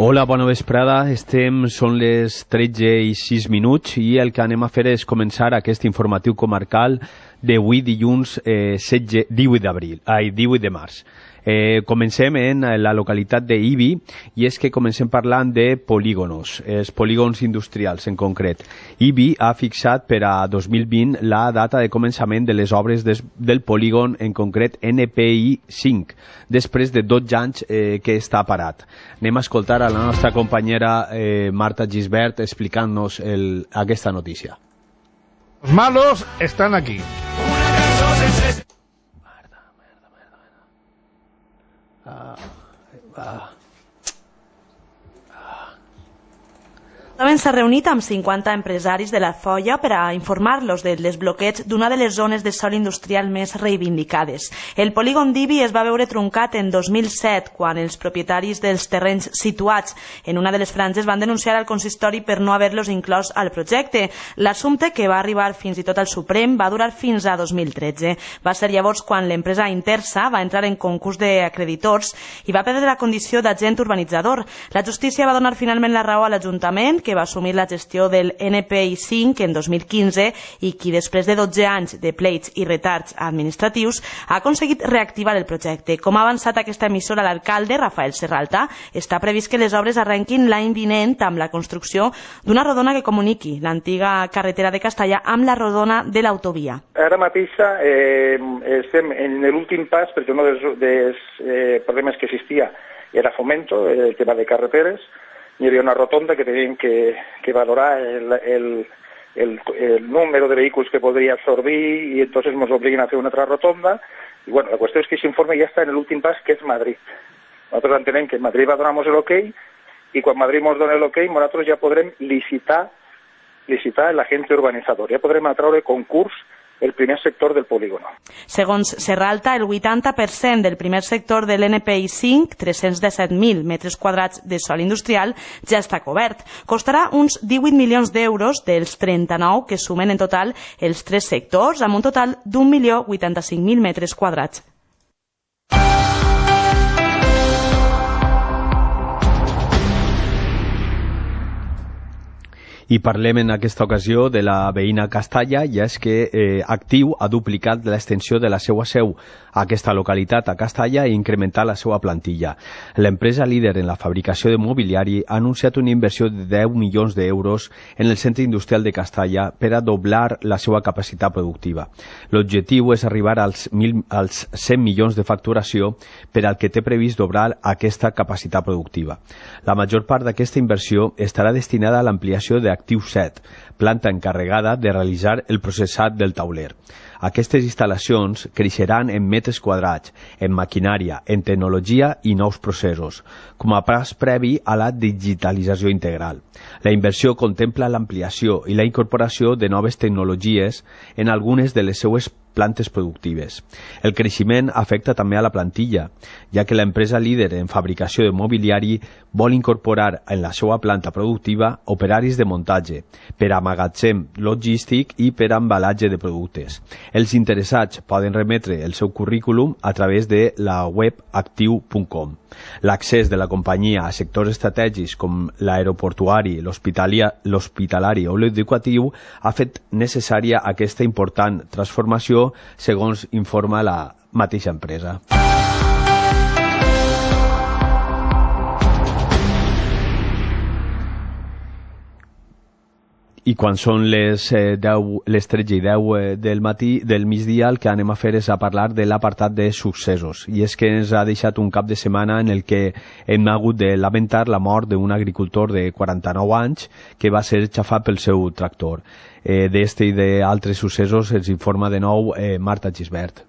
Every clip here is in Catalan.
Hola, bona vesprada. Són les 13:06 i el que anem a fer és començar aquest informatiu comarcal d'avui dilluns 18 de març. Comencem en la localitat d'Ibi i és que comencem parlant de polígonos, els polígons industrials en concret. Ibi ha fixat per a 2020 la data de començament de les obres del polígon, en concret NPI 5, després de 12 anys que està parat. Anem a escoltar a la nostra companyera Marta Gisbert explicant-nos aquesta notícia. Los malos están aquí. L'Ajuntament s'ha reunit amb 50 empresaris de la Zoia per a informar-los del desbloqueig d'una de les zones de sòl industrial més reivindicades. El polígon d'Ibi es va veure truncat en 2007, quan els propietaris dels terrenys situats en una de les franges van denunciar al consistori per no haver-los inclòs al projecte. L'assumpte, que va arribar fins i tot al Suprem, va durar fins a 2013. Va ser llavors quan l'empresa Intersa va entrar en concurs d'acreditors i va perdre la condició d'agent urbanitzador. La justícia va donar finalment la raó a l'Ajuntament, que va assumir la gestió del NPI 5 en 2015 i qui, després de 12 anys de pleits i retards administratius, ha aconseguit reactivar el projecte. Com ha avançat aquesta emissora l'alcalde, Rafael Serralta, està previst que les obres arrenquin l'any vinent amb la construcció d'una rodona que comuniqui l'antiga carretera de Castalla amb la rodona de l'autovia. Ara mateix estem en l'últim pas, perquè un dels problemes que existia era Fomento, el tema de carreteres. Hi havia una rotonda que teníem que valorar el número de vehículos que podría absorbir y entonces nos obligan a hacer una otra rotonda. Y bueno, la cuestión es que ese informe ya está en el últim pas, que és Madrid. Nosaltres entenem que Madrid va donar-nos l'ok i quan Madrid ens dona l'ok nosaltres ja podrem licitar l'agent urbanitzador, ja podrem atraure concurs el primer sector del polígono. Segons Serralta, el 80% del primer sector de l'NPI 5, 317.000 metres quadrats de sòl industrial, ja està cobert. Costarà uns 18 milions d'euros dels 39 que sumen en total els tres sectors, amb un total d'1.085.000 metres quadrats. I parlem en aquesta ocasió de la veïna Castalla, i és que Actiu ha duplicat l'extensió de la seva seu a aquesta localitat, a Castalla, i incrementat la seva plantilla. L'empresa líder en la fabricació de mobiliari ha anunciat una inversió de 10 milions d'euros en el centre industrial de Castalla per a doblar la seva capacitat productiva. L'objectiu és arribar als 100 milions de facturació, per al que té previst doblar aquesta capacitat productiva. La major part d'aquesta inversió estarà destinada a l'ampliació de Actiu 7, planta encarregada de realitzar el processat del tauler. Aquestes instal·lacions creixeran en metres quadrats, en maquinària, en tecnologia i nous processos, com a pas previ a la digitalització integral. La inversió contempla l'ampliació i la incorporació de noves tecnologies en algunes de les seues plantes productives. El creixement afecta també a la plantilla, ja que l'empresa líder en fabricació de mobiliari vol incorporar en la seva planta productiva operaris de muntatge, per a magatzem logístic i per a embalatge de productes. Els interessats poden remetre el seu currículum a través de la web actiu.com. L'accés de la companyia a sectors estratègics com l'aeroportuari, l'hospitalari o l'educatiu ha fet necessària aquesta important transformació, segons informa la mateixa empresa. I quan són les 13:10 del migdia, el que anem a fer és a parlar de l'apartat de successos. I és que ens ha deixat un cap de setmana en el que hem hagut de lamentar la mort d'un agricultor de 49 anys que va ser xafat pel seu tractor. D'este i d'altres successos ens informa de nou Marta Gisbert.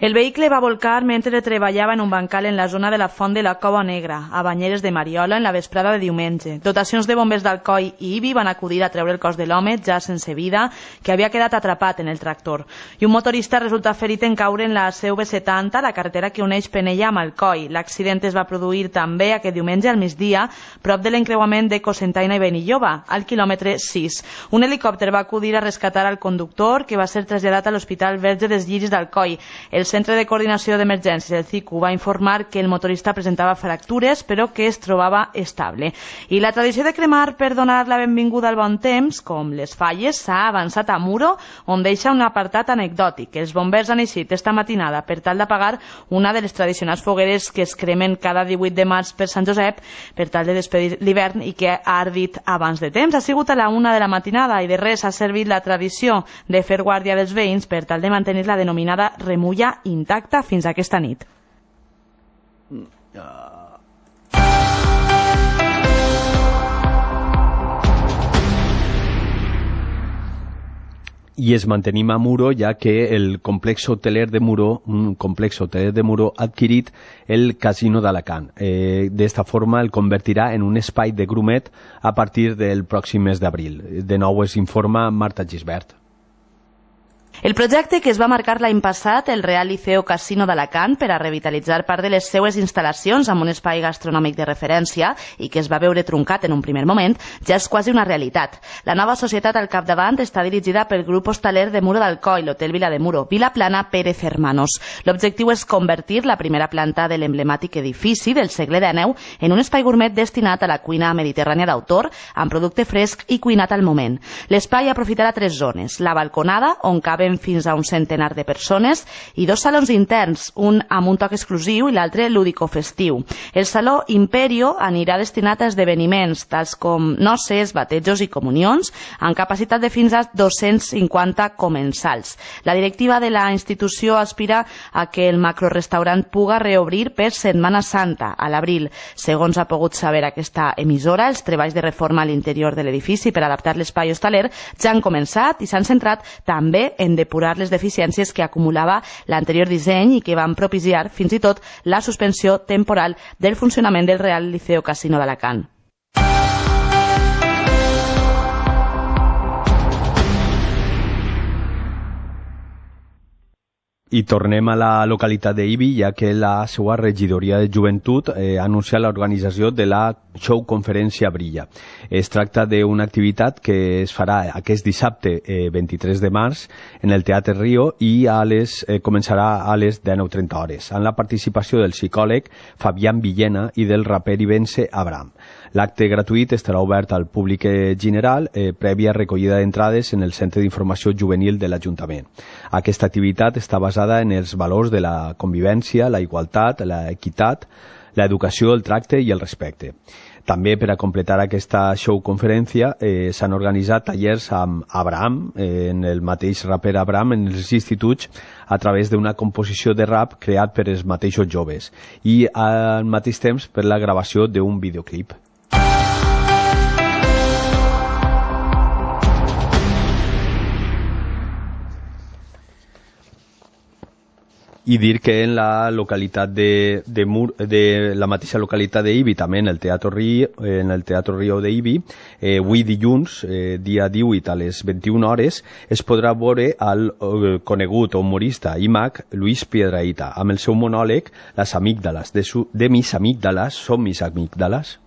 El vehicle va volcar mentre treballava en un bancal en la zona de la Font de la Cova Negra, a Banyeres de Mariola, en la vesprada de diumenge. Dotacions de bombers d'Alcoi i Ibi van acudir a treure el cos de l'home, ja sense vida, que havia quedat atrapat en el tractor. I un motorista resulta ferit en caure en la CV70, la carretera que uneix Penella amb Alcoi. L'accident es va produir també aquest diumenge al migdia, prop de l'encreuament de Cocentaina i Benilloba, al quilòmetre 6. Un helicòpter va acudir a rescatar al conductor, que va ser traslladat a l'Hospital Verge dels Lliris d'Alcoi. Els Centre de Coordinació d'Emergències, el CICU, va informar que el motorista presentava fractures però que es trobava estable. I la tradició de cremar per donar la benvinguda al bon temps, com les falles, s'ha avançat a Muro, on deixa un apartat anecdòtic. Els bombers han eixit esta matinada per tal d'apagar una de les tradicionals fogueres que es cremen cada 18 de març per Sant Josep per tal de despedir l'hivern i que ha ardit abans de temps. Ha sigut a la 1 de la matinada i de res ha servit la tradició de fer guàrdia dels veïns per tal de mantenir la denominada remulla intacta fins aquesta nit. I es mantenim a Muro, ja que el complex hoteler de Muro, ha adquirit el Casino d'Alacant. D'esta forma el convertirà en un espai de grumet a partir del pròxim mes d'abril. De nou es informa Marta Gisbert. El projecte que es va marcar l'any passat, el Real Liceo Casino d'Alacant, per a revitalitzar part de les seues instal·lacions amb un espai gastronòmic de referència i que es va veure truncat en un primer moment, ja és quasi una realitat. La nova societat al capdavant està dirigida pel grup hostaler de Muro d'Alcoi, l'Hotel Vila de Muro, Vilaplana Pérez Hermanos. L'objectiu és convertir la primera planta de l'emblemàtic edifici del segle XIX en un espai gourmet destinat a la cuina mediterrània d'autor, amb producte fresc i cuinat al moment. L'espai aprofitarà 3 zones: la balconada, on caben fins a un centenar de persones, i 2 salons interns, un amb un toc exclusiu i l'altre lúdico-festiu. El saló Imperio anirà destinat a esdeveniments, tals com noces, batejos i comunions, amb capacitat de fins a 250 comensals. La directiva de la institució aspira a que el macrorestaurant puga reobrir per Setmana Santa, a l'abril. Segons ha pogut saber aquesta emissora, els treballs de reforma a l'interior de l'edifici per adaptar l'espai hostaler ja han començat i s'han centrat també en depurar les deficiències que acumulava l'anterior disseny i que van propiciar fins i tot la suspensió temporal del funcionament del Real Liceo Casino d'Alacant. I tornem a la localitat d'Ibi, ja que la seva regidoria de joventut ha anunciat l'organització de la Show Conferència Brilla. Es tracta d'una activitat que es farà aquest dissabte 23 de març en el Teatre Rio i començarà a les 19:30 hores, amb la participació del psicòleg Fabián Villena i del raper ibense Abraham. L'acte gratuït estarà obert al públic general, prèvia recollida d'entrades en el Centre d'Informació Juvenil de l'Ajuntament. Aquesta activitat està basada en els valors de la convivència, la igualtat, l'equitat, l'educació, el tracte i el respecte. També, per a completar aquesta show-conferència, s'han organitzat tallers amb Abraham, en el mateix raper Abraham, en els instituts, a través d'una composició de rap creat per els mateixos joves i al mateix temps per la gravació d'un videoclip. I dir que en la localitat de la mateixa localitat d'Ibi, també en el Teatre Rio d'Ibi, avui dilluns, dia 18 a les 21 hores, es podrà veure el conegut humorista i mag Luis Piedrahita, amb el seu monòleg Les amígdalas, de mis amígdalas son mis amígdalas.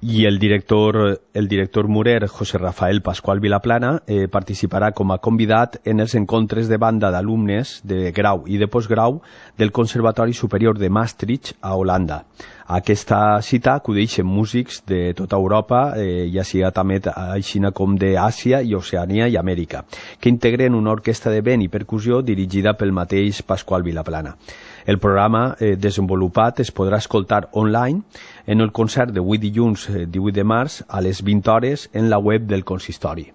I el director murer José Rafael Pascual Vilaplana participarà com a convidat en els encontres de banda d'alumnes de grau i de postgrau del Conservatori Superior de Maastricht a Holanda. A aquesta cita acudeixen músics de tota Europa, ja sigui també així com d'Àsia i Oceania i Amèrica, que integren una orquestra de vent i percussió dirigida pel mateix Pascual Vilaplana. El programa desenvolupat es podrà escoltar online en el concert d'avui dilluns 18 de març a les 20 hores en la web del consistori.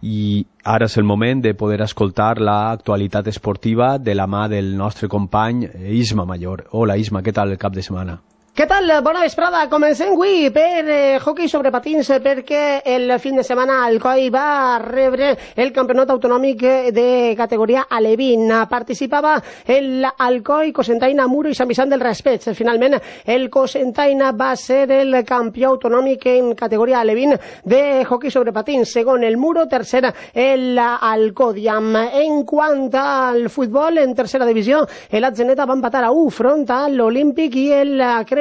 I ara és el moment de poder escoltar l'actualitat esportiva de la mà del nostre company Isma Mayor. Hola Isma, què tal el cap de setmana? Què tal? Bona vesprada. Comencem avui per hoquei sobre patins perquè el fin de setmana Alcoi va rebre el campionat autonòmic de categoria Alevín. Participava l'Alcoi, Cocentaina, Muro i Sant Vicent del Raspeig. Finalment, el Cocentaina va ser el campió autonòmic en categoria Alevín de hoquei sobre patins. Segon, el Muro. Tercer, l'Alcòdiam. En quant al futbol, en tercera divisió, l'Atzeneta va empatar a 1 front a l'Olímpic i el Crevillent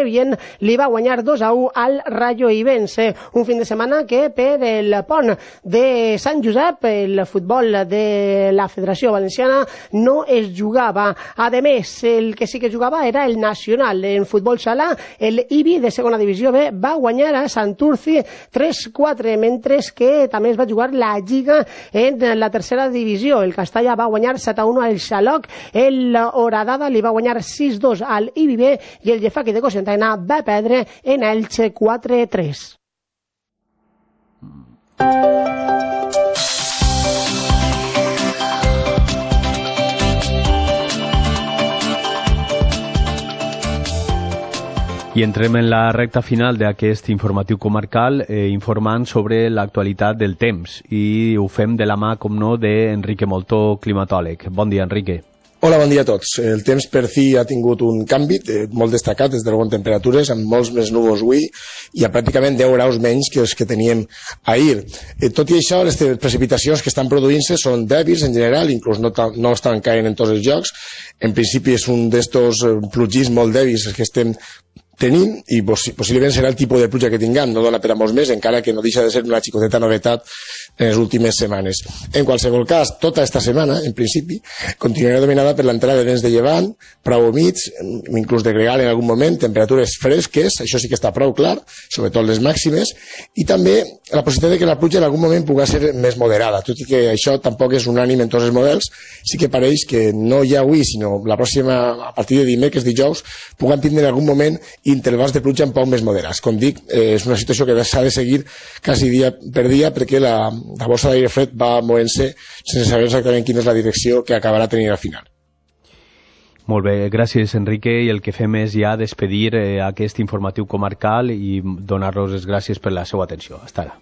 li va guanyar 2-1 al Rayo Ibense. Un fin de setmana que per el pont de Sant Josep el futbol de la Federació Valenciana no es jugava. A més, el que sí que jugava era el Nacional. En futbol sala, el Ibi de segona divisió B va guanyar a Santurci 3-4, mentre que també es va jugar la Lliga en la tercera divisió. El Castalla va guanyar 7-1 al Xaloc, el Horadada li va guanyar 6-2 al Ibi B i el Llefaqui de Cocentaina va perdre en Elche 4-3. I entrem en la recta final d'aquest informatiu comarcal informant sobre l'actualitat del temps i ho fem de la mà, com no, d'Enrique Moltó, climatòleg. Bon dia, Enrique. Hola, bon dia a tots. El temps per fi ha tingut un canvi molt destacat des de algunes temperatures, amb molts més núvols avui i a pràcticament 10 graus menys que els que teníem ahir. Tot i això, les precipitacions que estan produint-se són dèbils en general, inclús no estan caient en tots els llocs. En principi és un d'estos plogis molt dèbils que estem tenint i possiblement serà el tipus de pluja que tinguem, no dona per a molts més, encara que no deixa de ser una xicoteta novetat en les últimes setmanes. En qualsevol cas, tota esta setmana, en principi, continuarà dominada per l'entrada de vents de llevant, prou humits, inclús de gregal en algun moment, temperatures fresques, això sí que està prou clar, sobretot les màximes, i també la possibilitat de que la pluja en algun moment pugui ser més moderada, tot i que això tampoc és unànime en tots els models, sí que pareix que no ja avui, sinó la pròxima, a partir de dimecres, dijous, puguem tindre en algun moment intervals de pluja un poc més moderats. Com dic, és una situació que s'ha de seguir quasi dia per dia perquè la bossa d'aire fred va movent-se sense saber exactament quina és la direcció que acabarà tenint al final. Molt bé, gràcies, Enrique, i el que fem és ja despedir aquest informatiu comarcal i donar-los les gràcies per la seva atenció. Hasta ara.